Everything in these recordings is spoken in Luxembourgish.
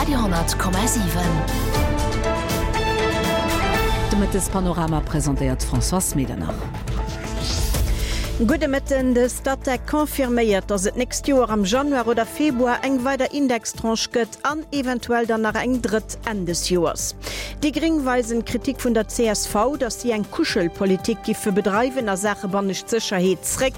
Radio 10,7. De Mëttespanorama presentéiert d'Françoise Medernach. Gudde Mëtten. De Statec confirméiert, datt et d'nächst Joer am Januar oder Februar eng weider Indextranche gëtt an eventuell dann nach eng drëtt Enn des Joers. Déi Gréng weisen d'Kritik vun der csv, datt si eng Kuschelpolitik giffe bedreiwen a Saache bannescht Sécherheet, zréck.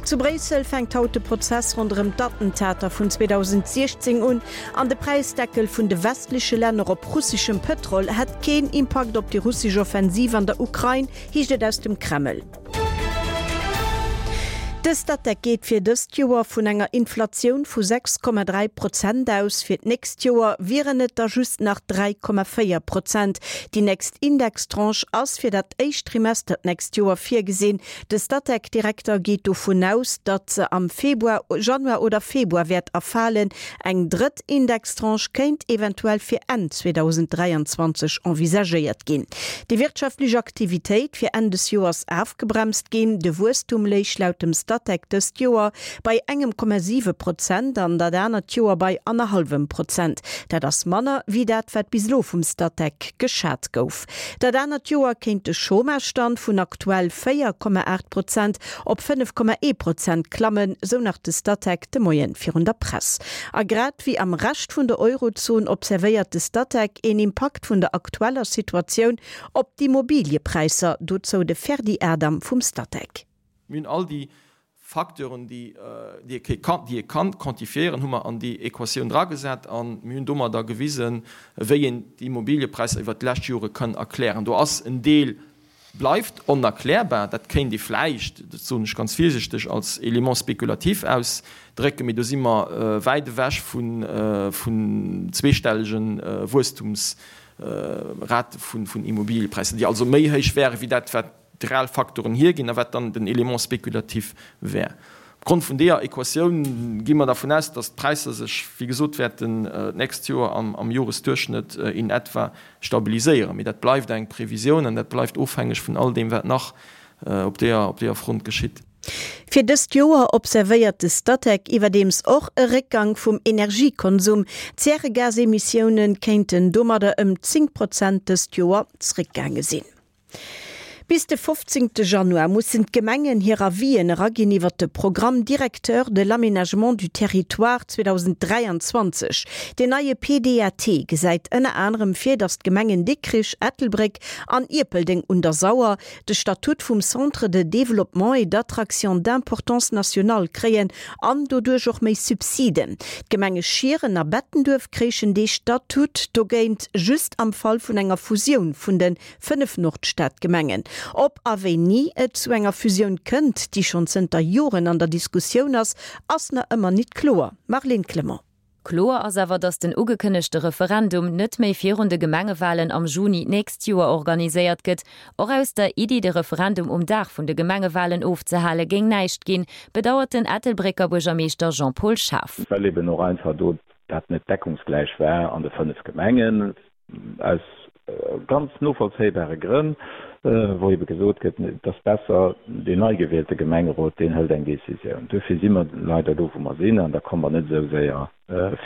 Zu Bréissel fänkt haut de Prozess ronderëm d'Attentater vun 2016 un an de Präisdeckel vun de westleche Länner op russeschem Pëtrol hätt keen Impakt op déi russesch Offensiv an der Ukrain, heescht et aus dem Kreml. De Statec geet fir dëst Joer vun enger Inflatioun vu 6,3 Prozent aus. Fir d'nächst Joer wieren et der just nach 3,4 Prozent. Déi nächst Indextranche ass fir dat éischt Trimester d'nächst Joer virgesinn. De Statec-Direkter geet dovun aus, datt se am Februar, Januar oder Februar wäert erfalen. Eng drëtt Indextranche kéint eventuell fir Enn 2023 envisagéiert ginn. Déi wirtschaftlech Aktivitéit wier Enn des Joers afgebremst ginn. De Wuesstum léich laut dem Statec dëst Joer bei engem Komma 7 Prozent an dat anert Joer bei annerhallwem Prozent. Dat ass manner wéi dat, wat bis elo vum Statec geschat gouf. Dat anert Joer kéint de Chômagestand vun aktuell 4,8 Prozent op 5,1 Prozent klammen, sou nach de Statec de Moien virun der Press. A grad wéi am Rescht vun der Eurozon observéiert de Statec een Impakt vun der aktueller Situatioun op d'Immobiliëpräisser, dozou de Ferdy Adam vum Statec. Mir hunn all déi Facteuren, déi ee kann, déi ee kann quantifiéieren, hu mer an déi Equatioun dragesat a mir hunn domadder gewisen, wéi een d'Immobiliëpräisser iwwert d'lescht Jore kann erklären. Do ass en Deel bleift onerklärbar, dat kéint ee vläicht, dat soen ech ganz virsichteg, als Élément spéculatif ausdrécken, mee do si mer wäit ewech vun zweestellege Wuesstumsrate vun Immobiliëpräisser, déi also méi héich wäre wéi dat, wat d'real Faktoren hierginn a wat dann den Élément spéculatif wär. Opgrond vun deeër Equatioun gi mer dervun aus, dass d'Präisser sech, wéi gesot, wäerten d'nächst Joer am Joresduerchschnëtt in etwa stabiliséieren. Mee dat bleift eng Previsioun an dat bleift ofhängeg vun all deem, wat nach op deeër Front geschitt. Fir dëst Joer observéiert de Statec iwwerdeems och e Réckgang vum Energiekonsum. D'Zäregasemissioune kéinten domadder ëm 10 Prozent dëst Joer zréckgaange sinn. Bis de 15 Januar mussen d'Gemengen hir Avisen eraginn iwwer de Programme directeur de l'aménagement du territoire 2023. Deen neie PDAT gesäit ënner anerem vir, datt d'Gemengen Dikrich, Ettelbréck an Ierpeldeng un der Sauer de Statut vum Centre de développement et d'attraction d'importance nationale kréien an doduerch och méi Subsiden. D'Gemenge Schieren a Bettenduerf kréichen dee Statut dogéint just am Fall vun enger Fusioun vun de 5 Nordstadgemengen. Ob a wéini et zu enger Fusioun kënnt, déi schonn zënter Joren an der Diskussioun ass, ass na ëmmer nit kloer. Marlene Clement. Kloer ass awer, datt den ugekënnegte Referendum net méi virun de Gemengewalen am Juni d'nächst Joer organiséiert gëtt. Och aus der Iddi, de Referendum um Dag vun de Gemengewalen ofzehale géing näischt ginn, bedauert den Ettelbrécker Buergermeeschter Jean-Paul Schaaf. Well eben och einfach do dat net deckungsgläich war an de 5 Gemengen. Aus ganz novollzéibare Grënn, wou ebe gesot gëtt, et ass besser, deen nei gewielte Gemengerot, deen hëlt eng Décisioun. Duerfir si mer leider do, wou mer sinn, an da komme mer net esou séier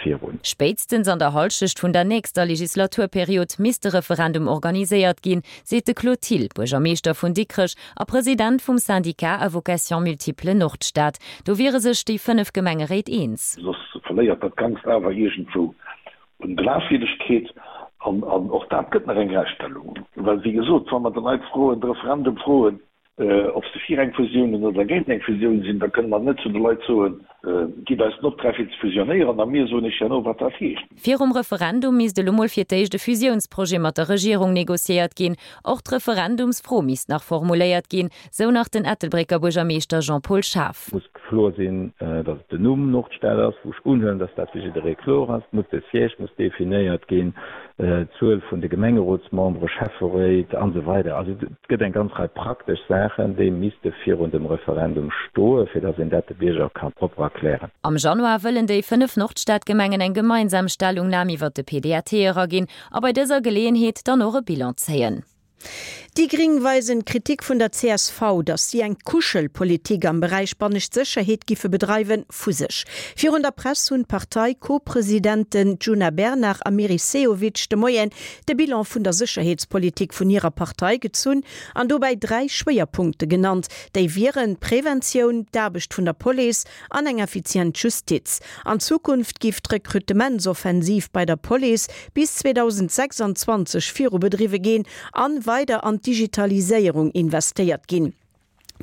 virun. Spéitstens an der Hallschecht vun der nächster Legislaturperiod misst de Referendum organiséiert ginn, seet de Claude Thill, Buergermeeschter vun Dikrech a President vum Syndicat à vocation multiple Nordstad. Do wiere sech déi 5 Gemengeréit eens. Soss verléiert dat Ganzt awer iergendwou Un Glafwierdegkeet, an och dat gëtt nach eng Rächtstellung, well wéi gesot, wa mer de Leit froen, de Referendum froen, ob se fir eng Fusioun oder géint eng Fusioun sinn, da kënne mer net zu de Leit soen, gitt eis den Optrag fir ze fusionéieren a mir soen iech herno wat dat heescht. Virum Referendum misst elo mol fir d'éischt e Fusiounsprojet mat der Regierung negociéiert ginn. Och d'Referendumsfro misst nach formuléiert ginn, sou nach den Ettelbrécker Buergermeeschter Jean-Paul Schaaf. Muss kloer sinn, datt et den Numm Nordstad ass, wou ech unhuelen, datt dat fir jidderee kloer ass. Muss de Siège muss definéiert ginn, d'Zuel vun de Gemengerotsmembere, Schäfferéit an esou weider. Also et gëtt eng ganz Rei praktesch Saachen, déi misste virun dem Referendum stoen, fir datt een dat de Bierger ka propper erklären. Am Januar wëllen déi 5 Nordstadgemengen eng gemeinsam Stellungnam iwwert de PDAT eraginn a bei dëser Geleeënheet dann och e Bilan zéien. Déi Gring weisen d'Kritik vun der csv, datt si eng Kuschelpolitik am Beräich bannescht Sécherheet giffe bedreiwen, vu sech. Virun der Press hunn d'Partei-Co-Presidenten Djuna Bernard a Meris Sehovic de Moien de Bilan vun der Sécherheetspolitik vun hirer Partei gezunn an dobäi 3 Schwéierpunkte genannt. Déi wieren d'Preventioun, d'Aarbecht vun der Police an eng effizient Justiz. An Zukunft giff d'Rekrutementsoffensiv bei der Police bis 2026 viru bedriwwe ginn an weider an d'Digitaliséierung investéiert ginn.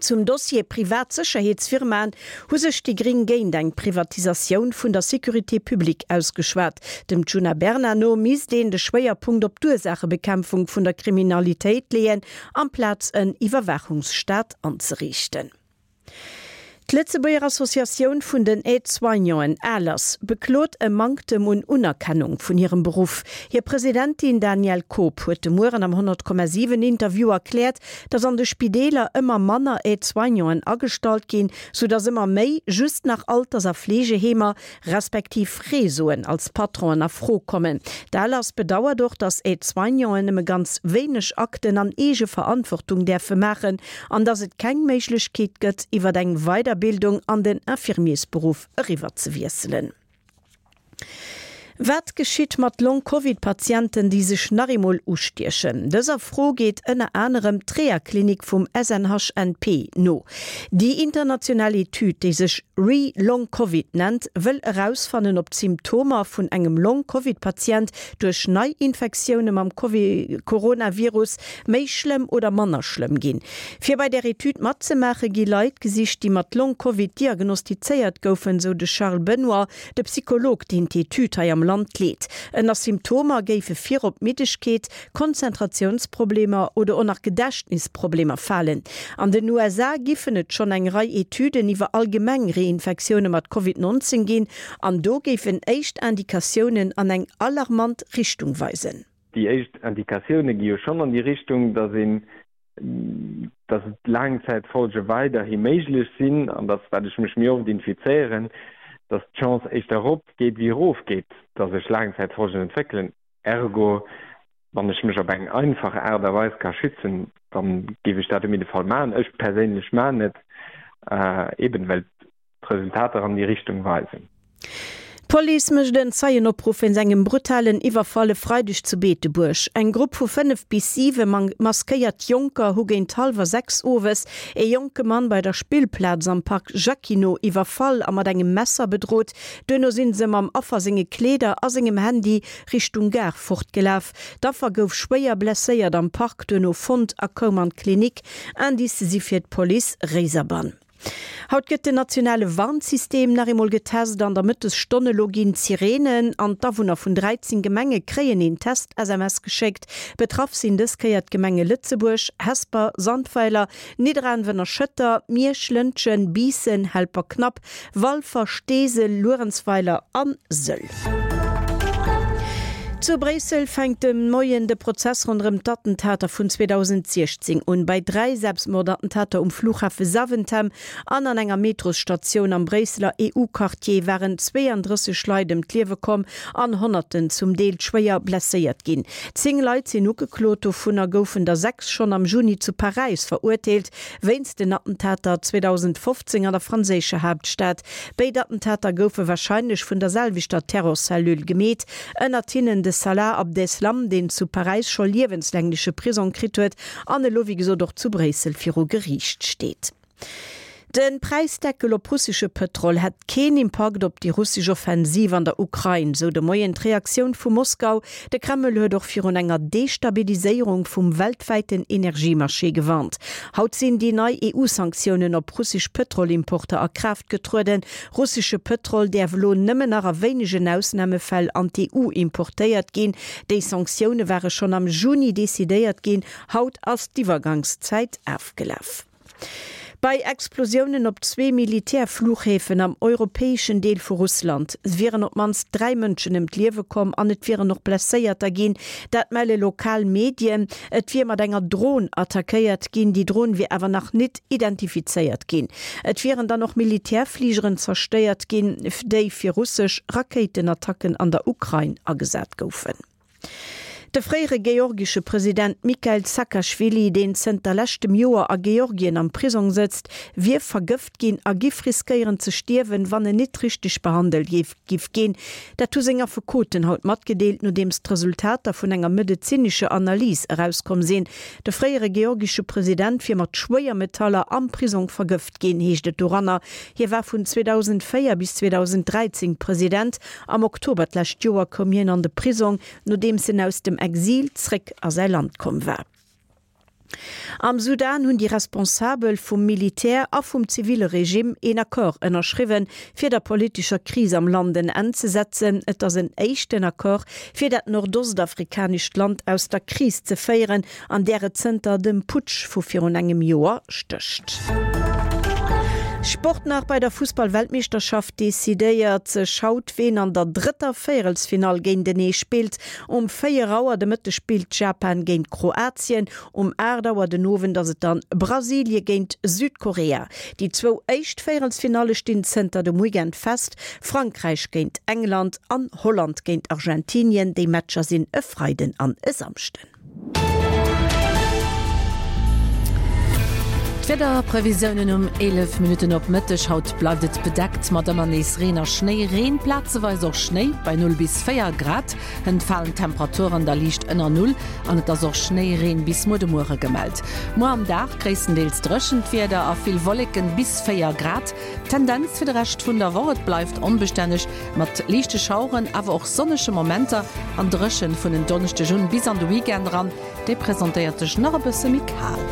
Zum Dossier privat Sécherheetsfirmaen hu sech déi Gring géint eng Privatisatioun vun der Sécurité publique ausgeschwat. Dem Djuna Bernard no misst een de Schwéierpunkt op d'Ursaachebekämpfung vun der Kriminalitéit leeën, amplaz en Iwwerwaachungsstaat anzeriichten. D'Lëtzebuerger Associatioun vun den Aide-Soignanten, ALAS, beklot e Manktem un Unerkennung vun hirem Beruff. Hir Presidentin Danièle Koob huet de Mueren am 100,7 Interview erkläert, datt an de Spideeler ëmmer manner Aide-Soignanten agestallt ginn, sou datt ëmmer méi just nach Alters a Fleegeheemer respektiv Réseauen als Patronen a Fro kommen. D'ALAS bedauert och, datt Aide-soignanten nëmme ganz wéineg Akten an Eegeverantwortung däerfe maachen an datt et keng Méiglechkeet gëtt, iwwer eng Weiderbildung an den Infirmiersberuff eriwwer ze wiesselen. Wat geschitt mat Long-Covid-Patienten, déi sech nach eemol ustiechen? Dëser Fro geet ënner anerem d'Reha-Klinik vum SNHNP no. Déi international Etüd, déi sech Re-Long-Covid nennt, wëll erausfannen, ob d'Symptomer vun engem Long-Covid-Patient duerch Neiinfektioune mam Coronavirus méi schlëmm oder manner schlëmm ginn. Fir bei där Etüd matzemaache gi Leit gesicht, déi mat Long-Covid diagnostizéiert goufen, sou de Charles Benoy, De Psycholog, deen d'Etüd hei am Land leet. Ënner Symptomer géife virop Middegkeet, Konzentratiounsproblemer oder och nach Gedächtnisproblemer falen. An den USA giffen et schonn eng Rei Etüden iwwer allgemeng Reinfektioune mat Covid 19 ginn an do géifen éischt Indikatiounen an eng alarmant Richtung weisen. Déi éischt Indikatioune gi jo schonn an déi Richtung, datt een dass et Laangzäitfolge weiderhi méiglech sinn an dass, wat ech mech méi oft infizéieren, dass d'Chance éischter erop geet wéi erof geet, dass ech Laangzäitfolgen entwéckelen. Ergo, wann ech mech op eng einfach Aart a Weis ka schützen, da géif ech dat op jidde Fall maachen. Ech perséinlech maachen et, eben well d'Resultater an déi Richtung weisen. D'Police mécht en Zeienopruff wéinst engem brutalen Iwwerfall e Freideg zu Beetebuerg. Eng Grupp vu 5 bis 7 maskéiert Jonker hu géint hallwer 6 owes ee jonke Mann bei der Spillplaz am Park Jacquinot iwwerfall a mat engem Messer bedrot. Duerno si se mam Affer senge Kleeder a sengem Handy Richtung Gare fortgelaf. D'Affer gouf schwéier blesséiert am Park duerno fonnt a koum an d'Klinik. Indicë si fir d'Police Réiserbann. Haut gëtt den nationale Warnsystem nach eemol getest. An der Mëttesstonn elo ginn d'Sireenen an d'Awunner vun 13 Gemenge kréien een Test-SMS geschéckt. Betraff sinn dës Kéier d'Gemenge Lëtzebuerg, Hesper, Sandweiler, Nidderaanwen a Schëtter, Miersch, Lëntgen, Biissen, Helperknapp, Walfer, Steesel, Luerenzweiler a Sëll. Zu Bréissel fänkt de Moien de Prozess ronderëm d'Attentater vun 2016 un. Bei 3 Selbstmordattentater um Flughafe Zaventem an an enger Metrosstatioun am Bréisseler EU-Quartier waren 32 Leit ëm d'Liewe komm an Honnerten zum Deel schwéier blesséiert ginn. 10 Leit sinn ugeklot, dovunner goufen der 6 schonn am Juni zu Paräis verurteelt wéinst den Attentater 2015 an der franséischer Haaptstad. Béid Attentater goufe warscheinlech vun der selwechter Terrorcellule gemeet, ënnert hinnen de Salah Abdeslam, deen zu Paräis scho liewenslängleche Prisong kritt huet an elo wéi gesot och zu Bréissel viru Geriicht steet. De Präisdeckel op russesche Pëtrol hätt keen Impakt op déi russesch Offensiv an der Ukrain, sou de Moien d'Reaktioun vu Moskau. De Kreml huet och virun enger Destabiliséierung vum weltwäiten Energiemarché gewarnt. Haut sinn déi nei EU-Sanktiounen op russesch Pëtrolimporter a Kraaft getrueden. Russesche Pëtrol däerf elo nëmmen nach a wéinegen Ausnamefäll an d'EU importéiert ginn. Déi Sanktioune ware schonn am Juni decidéiert ginn. Haut ass d'Iwwergangszäit afgelaf. Bei Explosiounen op zwee Militärfluchhäfen am europäeschen Deel vu Russland wieren op d'mannst 3 Mënschen ëm d'Liewe komm an et wieren och Blesséierter ginn. Dat melle lokal Medien. Et wier mat enger Dron attackéiert ginn. Déi Dron wier awer nach nit identifizéiert ginn. Et wieren dann och Militärfligeren zerstéiert ginn, déi fir russesch Rakéitenattacken an der Ukrain agesat goufen. De fréiere georgesche President Mikheil Saakaschwili, deen zënter leschtem Joer a Georgien am Prisong sëtzt, wier vergëft ginn a giff riskéieren ze stierwen, wann en nit richteg behandelt giff ginn. Dat hu seng Affekoten haut matgedeelt, nodeems d'Resultater vun enger medezinescher Analys erauskomm sinn. De fréiere georgesche President wier mat Schwéiermetaller am Prisong vergëft ginn, heescht et doranner. Hie war vun 2004 bis 2013 President. Am Oktober d'lescht Joer koum hien an de Prisong, nodeems en aus dem Exil zréck a säi Land komm war. Am Sudan hunn déi Responsabel vum Militär a vum ziville Regime een Accord ënnerschriwwen, fir der politescher Kris am Land en Enn ze setzen. Et ass en éischten Accord, fir dat nordostafrikanescht Land aus der Kris ze féieren, an där et zënter dem Putsch vu virun engem Joer stécht. Sport nach, Bei der Fussball-Weltmeeschterschaft decidéiert sech haut, ween an der drëtter Véierelsfinall géintenee spillt. Um 4 Auer de Mëtteg spillt Japan géint Kroatien, um 8 Auer den Owend ass et dann Brasilie géint Südkorea. Déi zwou éischt Véierelsfinalle stinn zënter dem Weekend fest, Frankräich géint England an Holland géint Argentinien. Déi Matcher sinn e Freiden an e Samschden. D'Wiederprevisiounen um 11 Minutten op Mëtteg, Haut bleift et bedeckt mat ëmmer nees Reen a Schnéi, Reen, plazeweis och Schnéi bei 0 bis 4 Grad. Hënt falen d'Temperaturen da liicht ënner Null an et ass och Schnéireen bis muer de Muere gemellt. Muer am Dag gréisstendeels dréchent Wieder a vill Wolleken, bis 4 Grad. D'Tendenz fir de Rescht vun der Woch, Et bleift onbestänneg mat liichte Schaueren, awer och sonnege Momenter an dréchen vun en Donneschdeg un bis an de Weekend eran. Déi presentéiert sech nach e bësse méi kal.